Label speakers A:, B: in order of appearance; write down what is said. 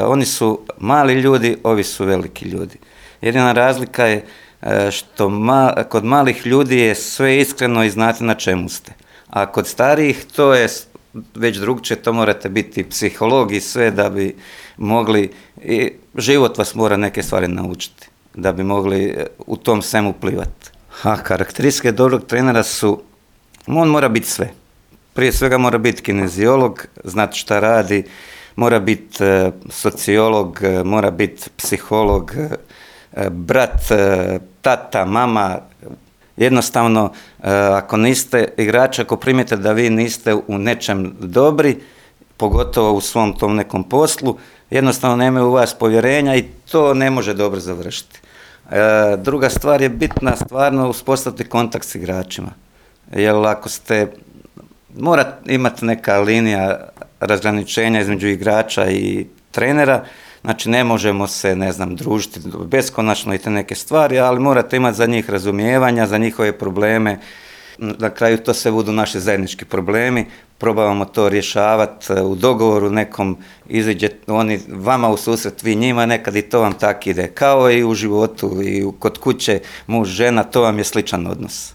A: Oni su mali ljudi, ovi su veliki ljudi. Jedina razlika je što kod malih ljudi je sve iskreno i znate na čemu ste. A kod starijih to je već drugčije, to morate biti psiholog i sve da bi mogli, i život vas mora neke stvari naučiti, da bi mogli u tom svemu plivati. A karakteristike dobrog trenera su, on mora biti sve. Prije svega mora biti kineziolog, znati šta radi, mora biti sociolog, mora biti psiholog, brat, tata, mama. Jednostavno, ako niste igrač, ako primite da vi niste u nečem dobri, pogotovo u svom tom nekom poslu, jednostavno nemaju u vas povjerenja i to ne može dobro završiti. Druga stvar je bitna, stvarno uspostaviti kontakt s igračima. Jer ako mora imati neka linija razgraničenja između igrača i trenera, znači ne možemo se, družiti beskonačno i te neke stvari, ali morate imati za njih razumijevanja, za njihove probleme. Na kraju to sve budu naši zajednički problemi, probavamo to rješavati u dogovoru nekom, iziđe oni vama u susret, vi njima, nekad i to vam tako ide. Kao i u životu i kod kuće, muž, žena, to vam je sličan odnos.